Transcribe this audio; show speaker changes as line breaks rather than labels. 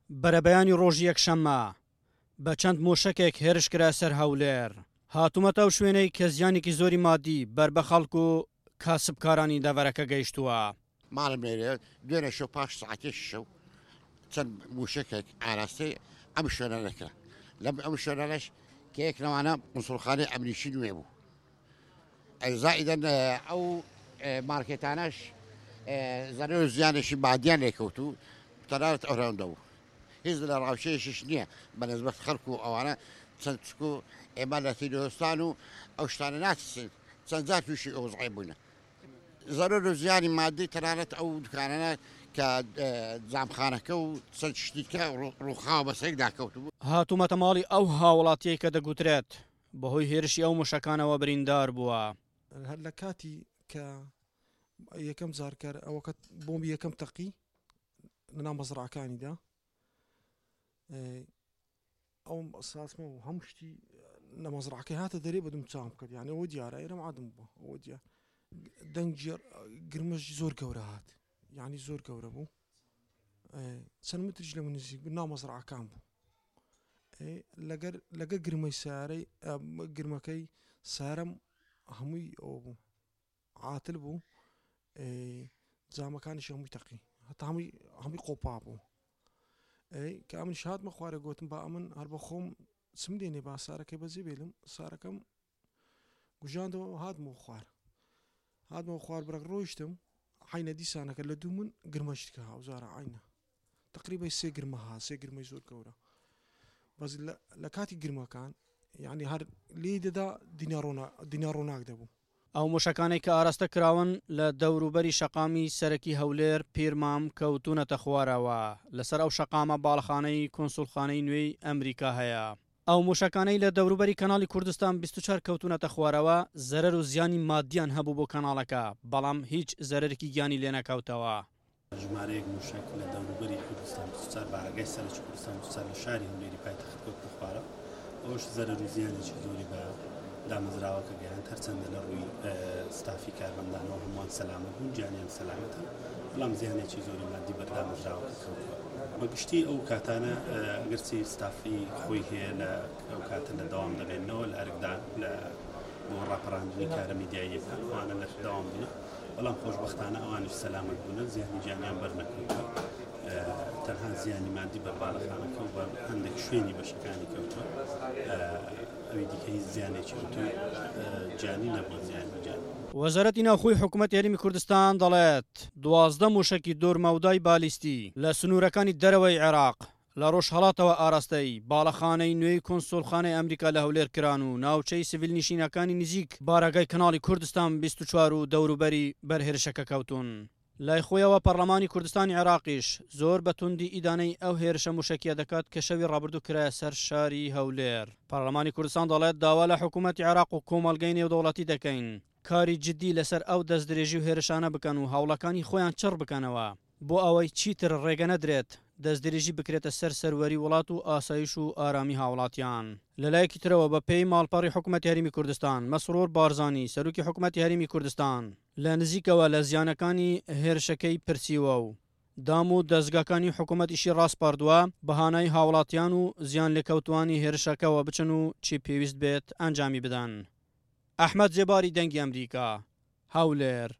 بەرەبەیانی ڕۆژی یەکشەممە بە چەند موشەکێک هێرش کرایە سەر هەولێر. هاتوومەتە ئەو شوێنەی کە زیانێکی زۆری مادی بەر بە خەڵک و کاسبکارانی دەڤەرەکە گەیشتووە.
ماڵم لێرەیە، دوێنێ شەو پاش سەعاتێکی شەو چەند موشەکێک ئاراستەی ئەم شوێنانە کرا. لەم ئەم شوێنانەش کە یەک لەوانە قونسوڵخانەی ئەمریکی نوێ بوو. زائیدەن ئەو مارکێتانەش زەرەر و زیانێکی مادیان لێکەوت و تەنانەت ئەوراندە بوو. هیچ لە ڕاوچەیەکیش نییە بە نسبەت خەڵک و ئەوانە چەند چکو ئێمە لە تیرۆستان و ئەو شتانە ناترسین چەند جار تووشی ئەو وەزعە بووینە. زەرەر و زیانی مادی تەنانەت ئەو دوکانانە کە جامخانەکە و چەند شتی کە ڕووخاوە بەسەرێکدا کەوتبوو.
هاتوومەتە ماڵی ئەو هاوڵاتیەی کە دەگوترێت بەهۆی هێرشی ئەو موشەکانەوە بریندار بووە.
هەر لە کاتی کە یەکەم جار کە ئەوەکە بۆمبی یەکەم تەقی لەناو مەزرعەکانیدا ئەو ساسمە و هەموو شتی لە مەزرعەکەی هاتە دەرێ بەدوم چاوم کرد یانە ئەوە دیارە ئێرەم عادم بووە ئەوە دیار دەنگی گرمەش زۆر گەورە هات یعنی زۆر گەورە بوو چەند متریش لە من نزیک بوو ناو مەزرعەکان بوو لەگەر لەگەر گرمەی سارەی گرمەکەی سارم هەمووی ئەوە بوو عاتل بوو جامەکانیش هەمووی تەقی هەتا هەمووی هەمووی قۆپا بوو کە ئەمن هاتمە خوارە گوتم با ئەمن هەر بە خۆم چم دێنێ با سارەکەی بەجێ بێلم سارەکەم گوژاندەوە هاتمەوە خوار هاتمەوە خوار برەک ڕۆیشتم عینە دیسانەکە لە دوو من گرمەشتکە هاوزارە عینە تقریبای سێ گرمە ها سێ گرمەی زۆر گەورە بەس لە کاتی گرمەکان یعنی هەر لێی دەدا دنیا ڕۆناک دەبوو.
ئەو موشەکانەی کە ئاراستە کراون لە دەوروبەری شەقامی سەرەکی هەولێر پیرمام کەوتوونەتە خوارەوە، لەسەر ئەو شەقامە باڵەخانەی کونسوڵخانەی نوێی ئەمریکا هەیە. ئەو موشەکانەی لە دەوروبەری کەناڵی کوردستان 24 کەوتوونەتە خوارەوە زەرەر و زیانی مادیان هەبوو بۆ کەناڵەکە، بەڵام هیچ زەرەرێکی گیانی لێنەکەوتەوە.
ژمارەیەک مووشەک لە دەوروبەری کوردستان 24 بارەگای سەرەکی کوردستان 24 لە شاری هەولێری پایتەخت کەوتنە خوارەوە، ئەوەش زەرەر و زیانێکی زۆری بە دامەزراوەکە گەیاند، هەرچەندە لە ڕووی ستافی کارمەندانەوە هەمووان سەلامەت بوون، گیانیان سەلامەتە، بەڵام زیانێکی زۆری مادی بەر دامەزراوەکە کەوتووە. بە گشتی ئەو کاتانە ئەگەرچی ستافی خۆی هەیە لە ئەو کاتە لە دەوام دەبێنەوە لە ئەرکدان لە بۆ ڕاپەڕاندنی کارە میدیاییەکان ئەوانە لە دەوام بوونە، بەڵام خۆشبەختانە ئەوانیش سەلامەت بوونە، زیانی گیانیان بەرنەکەوتووە، تەنها زیانی مادی بەر باڵەخانەکە و بەر هەندێک شوێنی بەشەکانی کەوتووە، ئەوی دیکە هیچ زیانێکی ئەوتۆی گیانی نەبووە زیانی گیانی.
وەزارەتی ناوخۆی حکومەتی هەرێمی کوردستان دەڵێت، 12 مووشەکی دوورمەودای بالیستی لە سنوورەکانی دەرەوەی عێراق لە ڕۆژهەڵاتەوە ئاراستەی باڵەخانەی نوێی کونسوڵخانەی ئەمریکا لە هەولێر کران و ناوچەی سڤیلنشینەکانی نزیک بارەگای کەناڵی کوردستان 24 و دەوروبەری بەر هێرشەکە کەوتوون. لای خۆیەوە پەڕلەمانی کوردستانی عێراقیش زۆر بە توندی ئیدانەی ئەو هێرشە موشەکیە دەکات کە شەوی ڕابردوو کرایە سەر شاری هەولێر. پەڕلەمانی کوردستان دەڵێت داوا لە حکومەتی عێراق و کۆمەڵگەی نێودەوڵەتی دەکەین کاری جدی لەسەر ئەو دەستدرێژی و هێرشانە بکەن و هەوڵەکانی خۆیان چڕ بکەنەوە. بۆ ئەوەی چیتر ڕێگە نەدرێت دەستدرێژی بکرێتە سەر سەروەری وڵات و ئاسایش و ئارامی هاوڵاتیان. لەلایەکی ترەوە بە پێی ماڵپەڕی حکومەتی هەرێمی کوردستان، مەسرور بارزانی سەرۆکی حکومەتی هەرێمی کوردستان لە نزیکەوە لە زیانەکانی هێرشەکەی پرسیوە و دام و دەزگاکانی حکومەتیشی ڕاسپاردووە بە هانای هاوڵاتیان و زیانلێکەوتووانی هێرشەکەوە بچن و چی پێویست بێت ئەنجامی بدەن. ئەحمەد زێباری دەنگی ئەمریکا، هەولێر.